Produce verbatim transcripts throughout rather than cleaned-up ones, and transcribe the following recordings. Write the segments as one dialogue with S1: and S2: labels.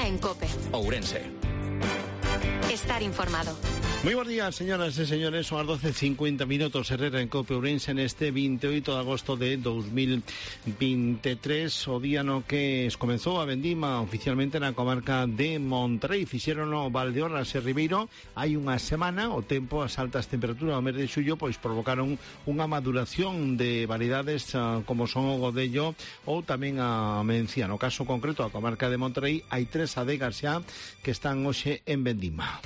S1: en COPE.
S2: Ourense.
S1: Estar informado.
S3: Moi bons días, señoras e señores, son as doce e cincuenta minutos. Herrera en COPE Ourense neste vinte e oito de agosto de dos mil veintitrés, o día no que comenzou a vendima oficialmente na comarca de Monterrey. Fixeron o Valdeorras e Ribeiro hai unha semana. O tempo, as altas temperaturas ao mes de xullo pois provocaron unha maduración de variedades uh, como son o godello ou tamén a mencía. No caso concreto da comarca de Monterrey hai tres adegas xa que están hoxe en vendima.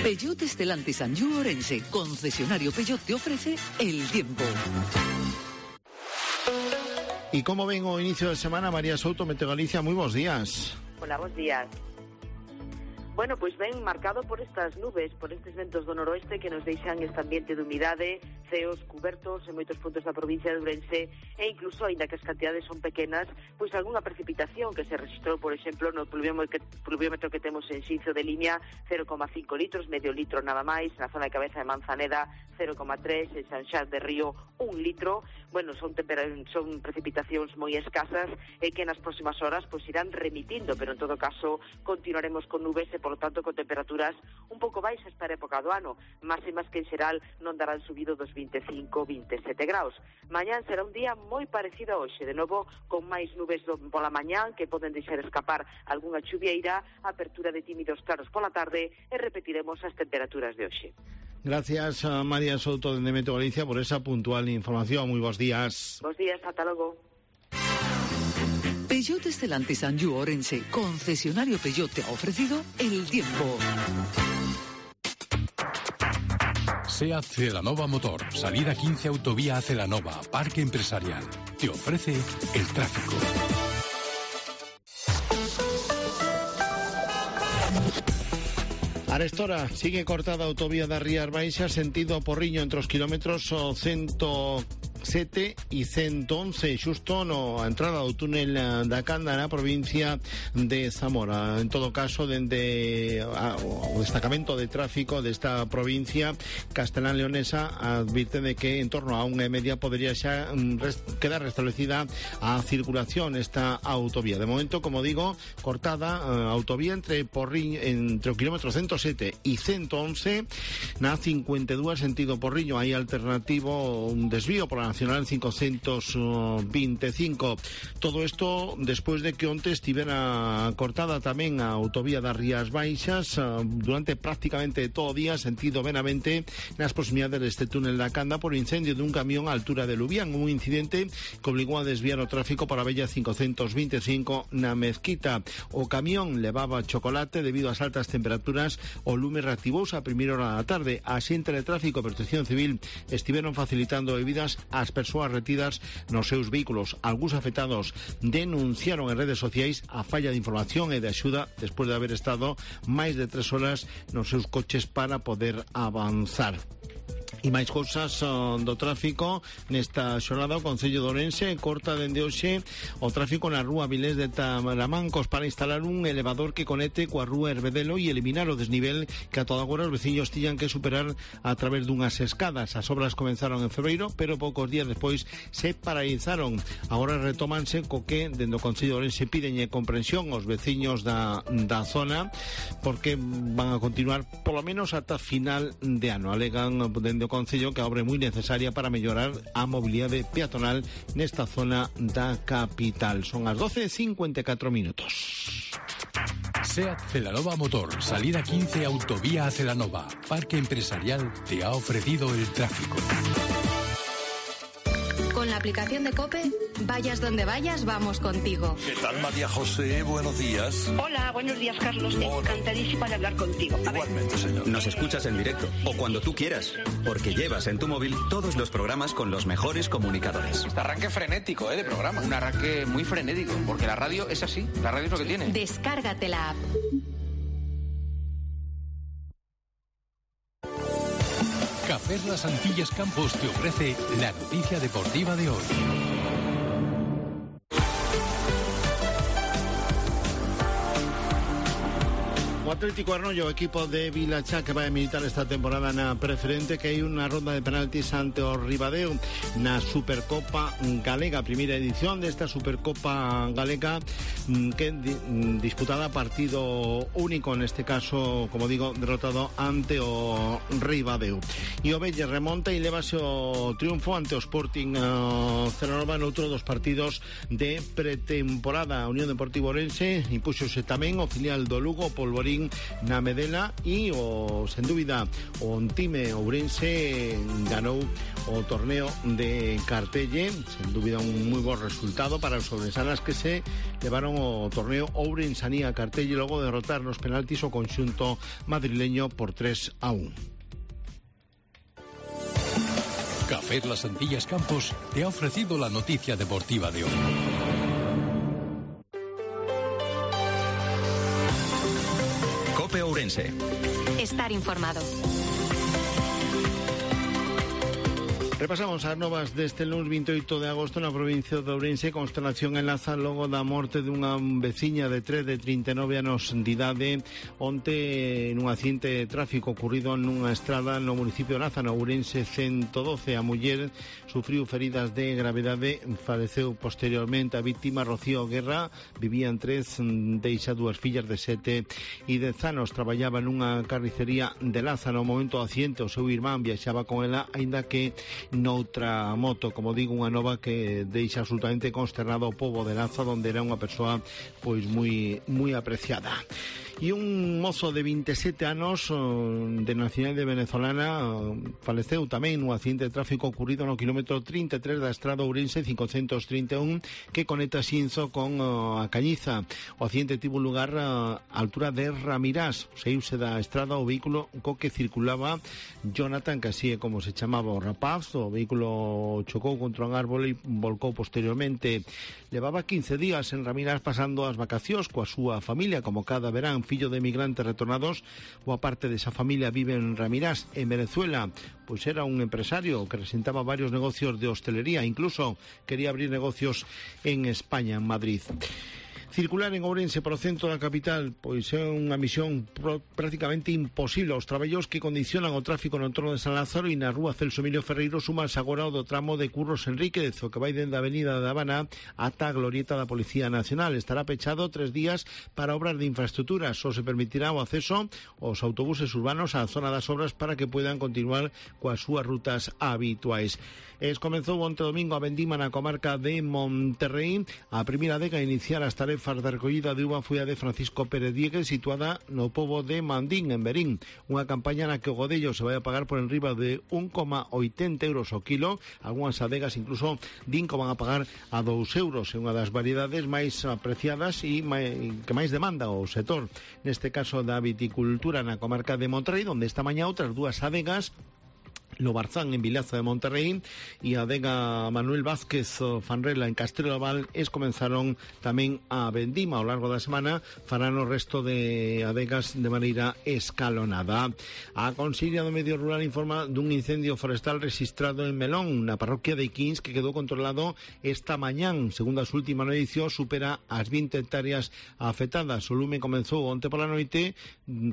S4: Peugeot Stellantis Anjou Ourense, concesionario Peugeot, te ofrece el tiempo.
S3: ¿Y cómo ven o inicio de semana? María Souto, Meteo Galicia, muy buenos días.
S5: Hola, buenos días. Bueno, pois ben marcado por estas nubes, por estes ventos do noroeste que nos deixan este ambiente de humidade, ceos cubertos en moitos puntos da provincia de Ourense e incluso, aínda que as cantidades son pequenas, pois algunha precipitación que se registrou, por exemplo, no pluviómetro que, pluviómetro que temos en Xinzo de Limia, cero coma cinco litros, medio litro nada máis, na zona de Cabeza de Manzaneda, cero coma tres, en San Xas de Río, un litro. Bueno, son, son precipitacións moi escasas e que nas próximas horas pois irán remitindo, pero en todo caso continuaremos con nubes e, por lo tanto, con temperaturas un pouco baixas para a época do ano, máximas que en xeral non darán subido dos vinte e cinco a vinte e sete graus. Mañán será un día moi parecido a hoxe, de novo con máis nubes do, pola mañán que poden deixar escapar algunha chuvieira, apertura de tímidos claros pola tarde e repetiremos as temperaturas de hoxe.
S3: Gracias a María Souto de Meteo Galicia por esa puntual información. Muy buenos días.
S5: Buenos días, hasta luego.
S4: Peugeot Stellantis Anjou Ourense, concesionario Peugeot, te ha ofrecido el tiempo.
S6: SEAT Celanova Motor, salida quince autovía a Celanova, Parque Empresarial. Te ofrece el tráfico.
S3: Arestora, sigue cortada a autovía da Rías Baixas, sentido Porriño, entre os kilómetros ciento sete e ciento once, xusto no a entrada do túnel da Canda na provincia de Zamora. En todo caso, dende a, o destacamento de tráfico desta provincia castelán leonesa advirte de que en torno a unha e media podería xa rest, quedar restablecida a circulación esta autovía. De momento, como digo, cortada a autovía entre Porriño, entre o kilómetro ciento sete e ciento once, na cincuenta e dúas sentido Porriño hai alternativo un desvío por a Nacional quinientos veinticinco. Todo isto despois de que onte estivera cortada tamén a autovía das Rías Baixas durante prácticamente todo o día, sentido Benavente, nas proximidades deste túnel da Canda por incendio dun camión a altura de Lubián, un incidente que obligou a desviar o tráfico para a Bella quinientos veinticinco na Mezquita. O camión levaba chocolate debido ás altas temperaturas. O lume reactivouse a primeira hora da tarde. A xente de tráfico e Protección Civil estiveron facilitando bebidas ás persoas retidas nos seus vehículos. Algúns afectados denunciaron en redes sociais a falla de información e de axuda despois de haber estado máis de tres horas nos seus coches para poder avanzar. E máis cousas uh, do tráfico nesta xornada. O Concello de Ourense corta dende hoxe o tráfico na rúa Vilés de Tamarancos para instalar un elevador que conecte coa rúa Herbedelo e eliminar o desnivel que a toda agora os veciños tiñan que superar a través dunhas escadas. As obras comenzaron en febreiro, pero poucos días despois se paralizaron. Agora retómanse co que dende o Concello de Ourense piden comprensión aos veciños da, da zona porque van a continuar polo menos ata final de ano. Alegan dende o Concello que a obra é moi necesaria para mellorar a mobilidade peatonal nesta zona da capital. Son as doce e cincuenta e catro minutos.
S6: SEAT Celanova Motor, salida quince autovía a Celanova, Parque Empresarial, te ha ofrecido el tráfico.
S1: Con la aplicación de COPE, vayas donde vayas, vamos contigo.
S7: ¿Qué tal, María José? Buenos días.
S8: Hola, buenos días, Carlos.
S7: Hola.
S8: Encantadísima de hablar contigo. A
S7: Igualmente, ver. señor.
S2: Nos escuchas en directo o cuando tú quieras, porque llevas en tu móvil todos los programas con los mejores comunicadores.
S9: Este arranque frenético, ¿eh? De programa. Un arranque muy frenético, porque la radio es así. La radio es lo que tiene.
S1: Descárgate la app.
S6: Cafés Las Antillas Campos te ofrece la noticia deportiva de hoy.
S3: Atlético Arnoio, equipo de Vilachá que vai a militar esta temporada na preferente, que hai unha ronda de penaltis ante o Ribadeo na Supercopa Galega, primeira edición desta Supercopa Galega que disputada partido único, neste caso, como digo, derrotado ante o Ribadeo. E o Velle remonta e levase o triunfo ante o Sporting uh, Celanova noutro dos partidos de pretemporada. A Unión Deportiva Ourense impúxose tamén o filial do Lugo, Polvorín na Medela, e o, sen dúbida, o time ourense ganou o torneo de Cartelle, sen dúbida un moi bo resultado para os ourensanas que se levaron o torneo Ourensanía Cartelle logo de derrotar nos penaltis o conxunto madrileño por tres a uno.
S6: Café Las Antillas Campos te ha ofrecido la noticia deportiva de hoy.
S2: Cope Ourense.
S1: Estar informado.
S3: Repasamos as novas deste lunes vinte e oito de agosto na provincia de Ourense. Consternación en Laza logo da morte dunha veciña de tres de trinta e nove anos de idade onte nun accidente de tráfico ocurrido nunha estrada no municipio de Laza, no Ourense ciento doce. A muller sufriu feridas de gravedade, faleceu posteriormente. A víctima, Rocío Guerra, vivía en tres, deixa dúas fillas de sete e dez anos. Traballaba nunha carnicería de Laza. No momento do accidente o seu irmán viaxaba con ela, aínda que noutra moto. Como digo, unha nova que deixa absolutamente consternado o pobo de Laza, onde era unha persoa pois moi moi apreciada. E un mozo de vinte e sete anos de nacionalidade venezolana faleceu tamén nun accidente de tráfico ocurrido no quilómetro trinta e tres da estrada Ourense cincocentos trinta e un que conecta Xinzo con a Cañiza. O accidente tivo lugar a altura de Ramirás. Saíuse da estrada o vehículo co que circulaba Jonathan, que así é como se chamaba o rapaz. O vehículo chocou contra un árbol e volcou posteriormente. Levaba quince días en Ramirás pasando as vacacións coa súa familia, como cada verán. Fillo de emigrantes retornados, boa parte desa familia vive en Ramirás, en Venezuela. Pois era un empresario que presentaba varios negocios de hostelería, incluso quería abrir negocios en España, en Madrid. Circular en Ourense por o centro da capital pois é unha misión pro, prácticamente imposible. Os traballos que condicionan o tráfico no entorno de San Lázaro e na rúa Celso Emilio Ferreiro sumanse agora o do tramo de Curros Enríquez, o que vai dende a avenida da Habana ata a glorieta da Policía Nacional. Estará pechado tres días para obras de infraestructura. Só se permitirá o acceso aos autobuses urbanos á zona das obras para que poidan continuar coas súas rutas habituais. Es comenzou onte domingo a vendima na comarca de Monterrey. A primeira adega a iniciar as tarefas de recollida de uva foi a de Francisco Pérez Diegues, situada no pobo de Mandín, en Berín. Unha campaña na que o godello se vai a pagar por enriba de un coma oitenta euros o kilo. Algúnas adegas incluso din que van a pagar a dous euros. É unha das variedades máis apreciadas e que máis demanda o sector. Neste caso da viticultura na comarca de Monterrey, onde esta mañá outras dúas adegas, Lobarzán en Vilaza de Monterrey e a adega Manuel Vázquez Fanrela en Castrelo Val es comenzaron tamén a vendima. Ao largo da semana farán o resto de adegas de maneira escalonada. A Consellería do Medio Rural informa dun incendio forestal registrado en Melón, na parroquia de Iquins, que quedou controlado esta mañán. Segundo as últimas noticias, supera as vinte hectáreas afectadas. O lume comenzou onte pola noite.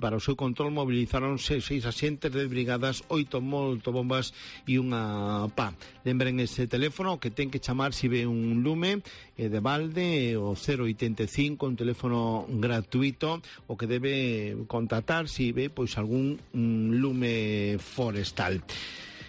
S3: Para o seu control movilizaronse seis axentes de brigadas, oito molto bombas e unha pá. Lembren ese teléfono que ten que chamar se ve un lume eh, de balde, o cero oitenta e cinco, un teléfono gratuito, o que debe contactar se ve pois algún un lume forestal.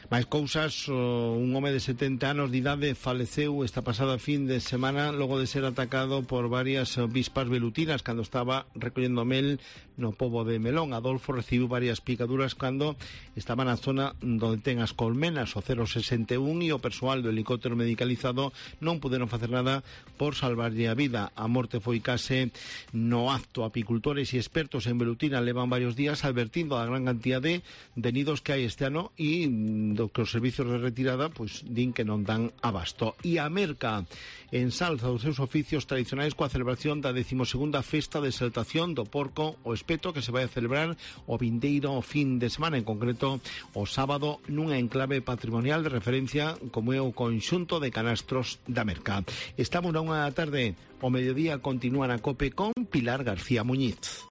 S3: Máis cousas, un home de setenta anos de idade faleceu esta pasada fin de semana logo de ser atacado por varias vispas velutinas cando estaba recollendo mel no pobo de Melón. Adolfo recibiu varias picaduras cando estaba na zona onde ten as colmenas, o cero sesenta e un, e o persoal do helicóptero medicalizado non puderon facer nada por salvarlle a vida. A morte foi case no acto. Apicultores e expertos en velutina levan varios días advertindo a gran cantidade de nidos que hai este ano e do que os servicios de retirada pois din que non dan abasto. E a Merca ensalza os seus oficios tradicionais coa celebración da decimosegunda festa de exaltación do porco o espeto, que se vai a celebrar o vindeiro fin de semana, en concreto o sábado, nunha enclave patrimonial de referencia como é o conxunto de canastros da Merca. Estamos na unha da tarde, o mediodía continúa na COPE con Pilar García Muñiz.